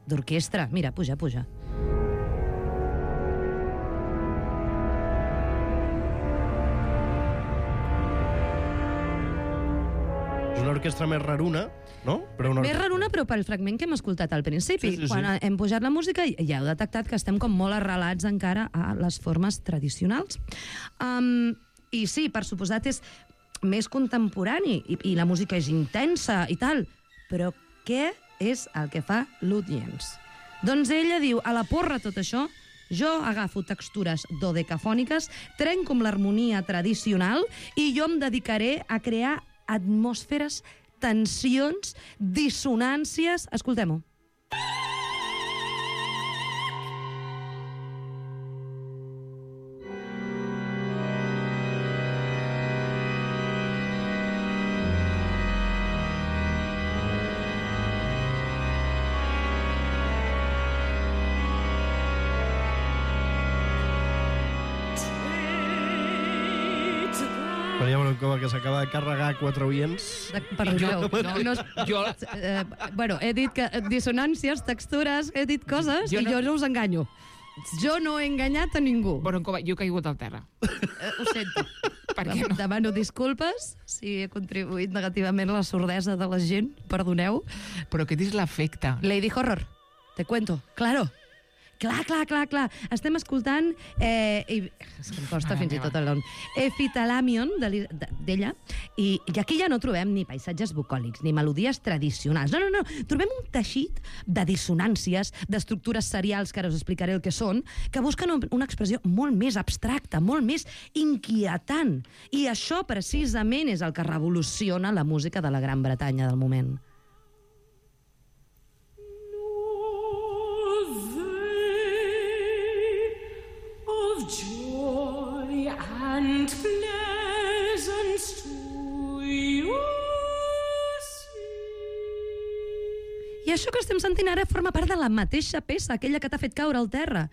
Speaker 12: D'orquestra. Mira, puja.
Speaker 13: És una orquestra més raruna, no?
Speaker 12: Més raruna, però pel fragment que hem escoltat al principi.
Speaker 13: Sí.
Speaker 12: Quan hem pujat la música ja heu detectat que estem com molt arrelats encara a les formes tradicionals. I sí, per suposat, és més contemporani i la música és intensa i tal. Però què és el que fa Lutyens? Doncs ella diu, a la porra tot això, jo agafo textures dodecafòniques, trenco amb l'harmonia tradicional i jo em dedicaré a crear atmosferes, tensions, dissonàncies... Escoltem-ho.
Speaker 13: Maria Broncova, que s'acaba de carregar 4 oients.
Speaker 12: Perdoneu. Bueno, he dit que dissonàncies, textures, he dit coses i jo no us enganyo. Jo no he enganyat a ningú.
Speaker 1: Broncova, jo he caigut al terra.
Speaker 12: Ho sento. Demano disculpes si he contribuït negativament a la sordesa de la gent. Perdoneu.
Speaker 1: Però aquest és l'efecte.
Speaker 12: Lady Horror, te cuento. Claro. Clar. Estem escoltant... És que em costa fins i tot el nom. Epithalamion, d'ella, i aquí ja no trobem ni paisatges bucòlics, ni melodies tradicionals. No. Trobem un teixit de dissonàncies, d'estructures serials, que ara us explicaré el que són, que busquen una expressió molt més abstracta, molt més inquietant. I això, precisament, és el que revoluciona la música de la Gran Bretanya del moment.
Speaker 14: Joy and pleasance to you.
Speaker 12: I això que estem sentint ara forma part de la mateixa peça, aquella que t'ha fet caure al terra.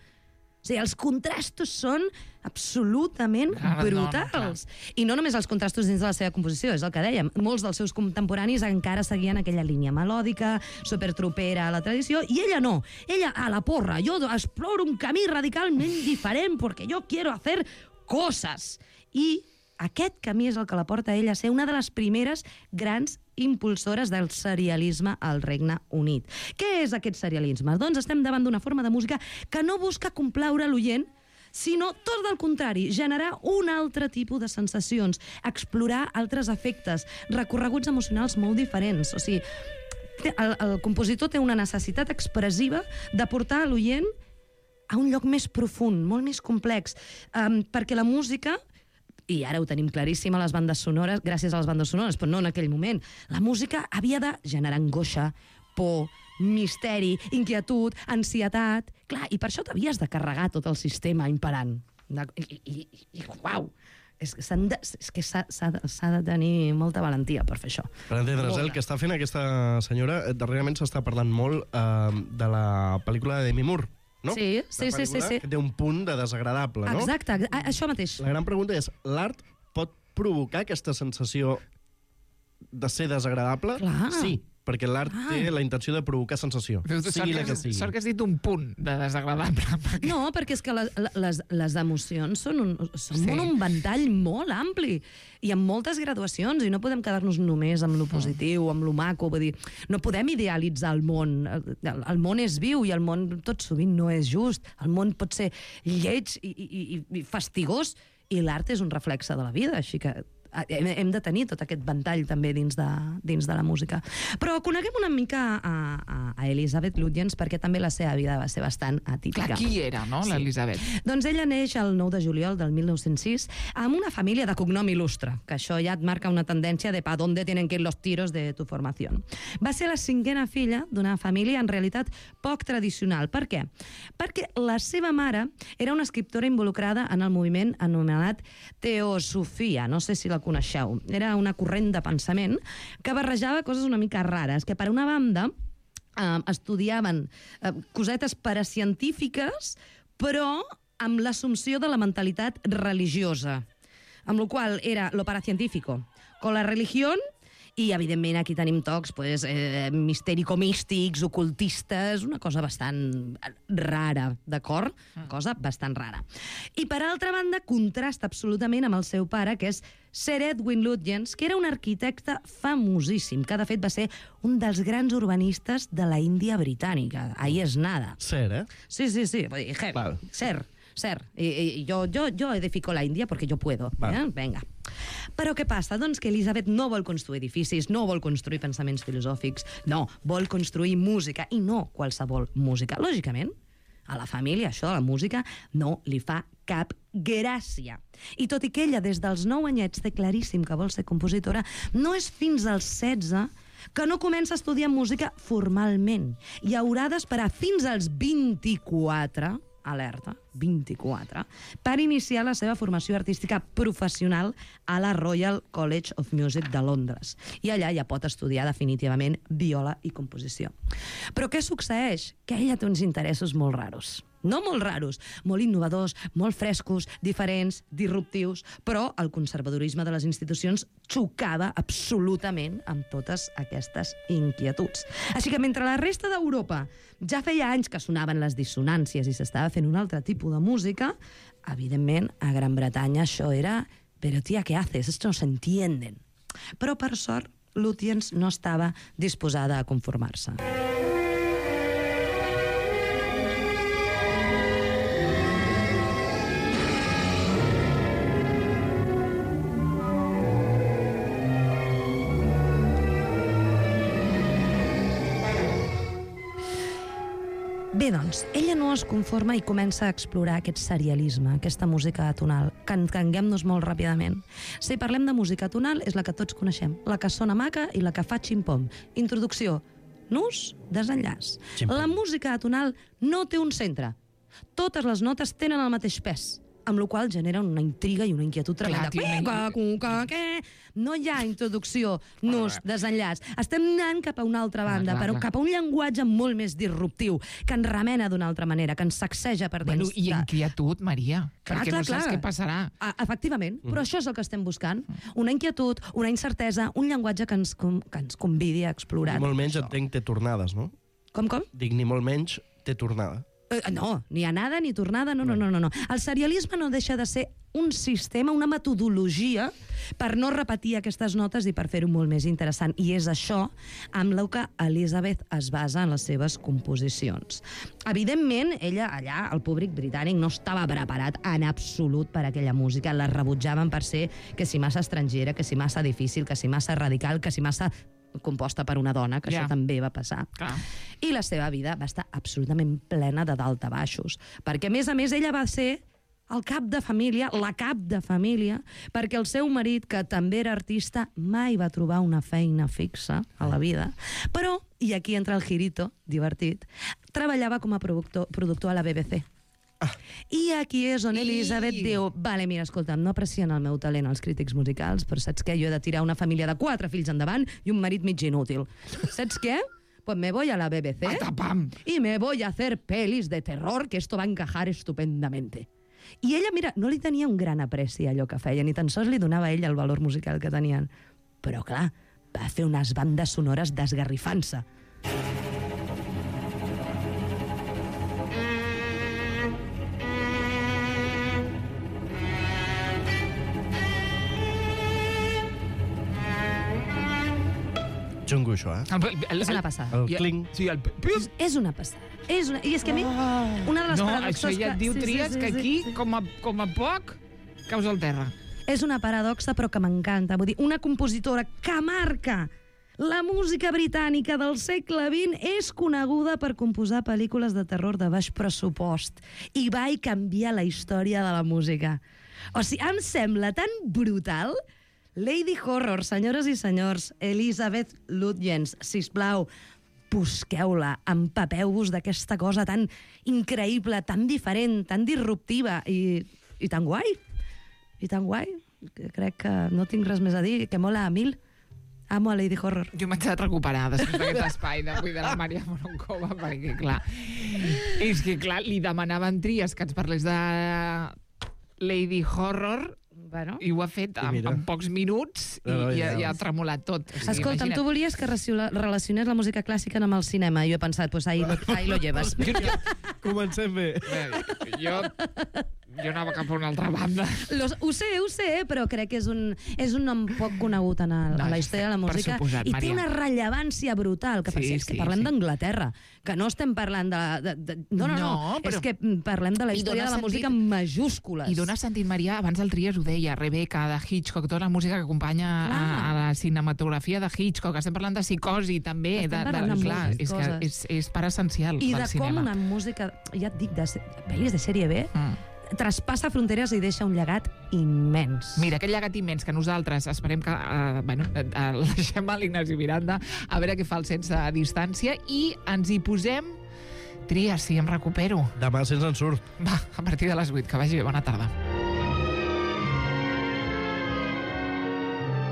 Speaker 12: O sigui, els contrastos són absolutament brutals. I no només els contrastos dins de la seva composició, és el que dèiem. Molts dels seus contemporanis encara seguien aquella línia melòdica, supertropera a la tradició, i ella no. Ella, a la porra, jo exploro un camí radicalment diferent perquè jo quiero hacer cosas. I aquest camí és el que la porta a ella a ser una de les primeres grans impulsores del serialisme al Regne Unit. Què és aquest serialisme? Doncs estem davant d'una forma de música que no busca complaure l'oient, sinó, tot del contrari, generar un altre tipus de sensacions, explorar altres efectes, recorreguts emocionals molt diferents. O sigui, el compositor té una necessitat expressiva de portar l'oient a un lloc més profund, molt més complex, perquè la música... I ara ho tenim claríssim a les bandes sonores, gràcies a les bandes sonores, però no en aquell moment. La música havia de generar angoixa, por, misteri, inquietud, ansietat... Clar, i per això t'havies de carregar tot el sistema imperant. I uau! És que s'ha de tenir molta valentia per fer això.
Speaker 13: Per entendre's, el que està fent aquesta senyora, darrerament s'està parlant molt de la pel·lícula de Demi Moore, no?
Speaker 12: Sí.
Speaker 13: Que té un punt de desagradable, no?
Speaker 12: Exacte, això mateix.
Speaker 13: La gran pregunta és, l'art pot provocar aquesta sensació de ser desagradable, sí, perquè l'art té la intenció de provocar sensació, sigui la que sigui.
Speaker 1: Sort que has dit un punt de desagradable.
Speaker 12: No, perquè és que les emocions són un ventall molt ampli i amb moltes graduacions, i no podem quedar-nos només amb lo positiu, amb lo maco, vull dir, no podem idealitzar el món. El món és viu i el món tot sovint no és just. El món pot ser lleig i fastigós i l'art és un reflexe de la vida, així que hem de tenir tot aquest ventall també dins de la música. Però coneguem una mica a Elisabeth Lutyens, perquè també la seva vida va ser bastant atípica.
Speaker 1: Clar, qui era, no, l'Elisabeth?
Speaker 12: Doncs ella neix el 9 de juliol del 1906 amb una família de cognom il·lustre, que això ja et marca una tendència de pa dónde tienen que ir los tiros de tu formación. Va ser la 5a filla d'una família en realitat poc tradicional. Per què? Perquè la seva mare era una escriptora involucrada en el moviment anomenat Teosofia. No sé si la coneixeu. Era una corrent de pensament que barrejava coses una mica rares, que per una banda estudiaven cosetes paracientífiques, però amb l'assumpció de la mentalitat religiosa, amb la qual era lo paracientífico con la religión. I, evidentment, aquí tenim tocs mistèrico-místics, ocultistes, una cosa bastant rara, d'acord? Una cosa bastant rara. I, per altra banda, contrasta absolutament amb el seu pare, que és Sir Edwin Lutyens, que era un arquitecte famosíssim, que, de fet, va ser un dels grans urbanistes de la Índia britànica. Ahí és nada.
Speaker 13: Sir, eh?
Speaker 12: Sí. Sir. Yo edifico la Índia perquè jo puedo. Venga. Però què passa? Doncs que Elisabeth no vol construir edificis, no vol construir pensaments filosòfics, no, vol construir música, i no qualsevol música. Lògicament, a la família això de la música no li fa cap gràcia. I tot i que ella des dels 9 anyets té claríssim que vol ser compositora, no és fins als 16 que no comença a estudiar música formalment i haurà d'esperar fins als 24, alerta, 24, per iniciar la seva formació artística professional a la Royal College of Music de Londres. I allà ja pot estudiar definitivament viola i composició. Però què succeeix? Que ella té uns interessos molt raros. No molt raros, molt innovadors, molt frescos, diferents, disruptius, però el conservadorisme de les institucions xocava absolutament amb totes aquestes inquietuds. Així que mentre la resta d'Europa ja feia anys que sonaven les dissonàncies i s'estava fent un altre tipus de música, evidentment, a Gran Bretanya això era «Pero tía, ¿qué haces? Esto no se entienden». Però, per sort, Lutyens no estava disposada a conformar-se. Bé, doncs, ella no es conforma i comença a explorar aquest serialisme, aquesta música atonal, que entenguem-nos molt ràpidament. Si parlem de música atonal, és la que tots coneixem, la que sona maca i la que fa ximpom. Introducció, nus, desenllaç. La música atonal no té un centre. Totes les notes tenen el mateix pes, amb la qual genera una intriga i una inquietud tremenda. No hi ha introducció, nus, desenllaç. Estem anant cap a una altra banda, però cap a un llenguatge molt més disruptiu, que ens remena d'una altra manera, que ens sacseja per dins.
Speaker 1: Bueno, i inquietud, Maria, perquè no saps què passarà.
Speaker 12: Efectivament, però això és el que estem buscant. Una inquietud, una incertesa, un llenguatge que ens convidi a explorar.
Speaker 13: Ni molt menys entenc té tornades, no?
Speaker 12: Com?
Speaker 13: Dic, ni molt menys té tornada.
Speaker 12: No, ni anada ni tornada, no. El serialisme no deixa de ser un sistema, una metodologia per no repetir aquestes notes i per fer-ho molt més interessant. I és això amb el que Elisabeth es basa en les seves composicions. Evidentment, ella allà, el públic britànic, no estava preparat en absolut per a aquella música. La rebutjaven per ser que si massa estrangera, que si massa difícil, que si massa radical, que si massa composta per una dona, que això també va passar. I la seva vida va estar absolutament plena de daltabaixos, perquè, a més, ella va ser el cap de família, la cap de família, perquè el seu marit, que també era artista, mai va trobar una feina fixa a la vida. Però, i aquí entra el girito, divertit, treballava com a productor a la BBC. I aquí és on Elisabeth diu, vale, mira, escolta'm, no aprecien el meu talent els crítics musicals, però saps què? Jo he de tirar una família de 4 fills endavant i un marit mig inútil. Saps què? Pues me voy a la BBC y me voy a hacer pelis de terror, que esto va a encajar estupendamente. I ella, mira, no li tenia un gran apreci a allò que feia, ni tan sols li donava a ella el valor musical que tenien. Però, clar, va fer unes bandes sonores desgarrifant-se.
Speaker 13: Xungo, això,
Speaker 12: És una passada.
Speaker 13: El cling.
Speaker 1: Sí, el...
Speaker 12: És una passada. I és que a mi, una de les
Speaker 1: No,
Speaker 12: paradoxes
Speaker 1: això ja et diu,
Speaker 12: sí,
Speaker 1: Tries, que aquí, com a poc, caus al terra.
Speaker 12: És una paradoxa, però que m'encanta. Vull dir, una compositora que marca la música britànica del segle XX és coneguda per composar pel·lícules de terror de baix pressupost i va canviar la història de la música. O sigui, em sembla tan brutal. Lady Horror, senyores i senyors, Elizabeth Lutyens, sisplau, busqueu-la, empapeu-vos d'aquesta cosa tan increïble, tan diferent, tan disruptiva i tan guai. I tan guai. Crec que no tinc res més a dir, que mola a mil. Amo a Lady Horror.
Speaker 1: Jo m'haig de recuperar després d'aquest espai d'avui de la Maria Moroncova, perquè, clar, li demanaven Tries que ens parlés de Lady Horror, i ho ha fet en pocs minuts i ha tremolat tot.
Speaker 12: Escolta, tu volies que relacionés la música clàssica amb el cinema, i jo he pensat, pues ahí lo llevas.
Speaker 13: Comencem bé.
Speaker 1: Jo anava cap a una altra banda.
Speaker 12: Ho sé, però crec que és un nom poc conegut a la història de la música i té una rellevància brutal. És que parlem d'Anglaterra, que no estem parlant de... No, és que parlem de la història de la música en majúscules.
Speaker 1: I dona sentit, Maria, abans el Tries ho deia, Rebecca, de Hitchcock, tota la música que acompanya a la cinematografia de Hitchcock. Estem parlant de psicosi, també. Clar, és part essencial del cinema.
Speaker 12: I de com una música, ja et dic, de pel·lis de sèrie B, traspassa fronteres i deixa un llegat immens.
Speaker 1: Mira, aquest llegat immens que nosaltres esperem que el deixem a l'Ignasi Miranda a veure què fa el Sense Distància i ens hi posem Tries, si em recupero.
Speaker 13: Demà se'ns en surt.
Speaker 1: Va, a partir de les 8, que vagi bé, bona tarda.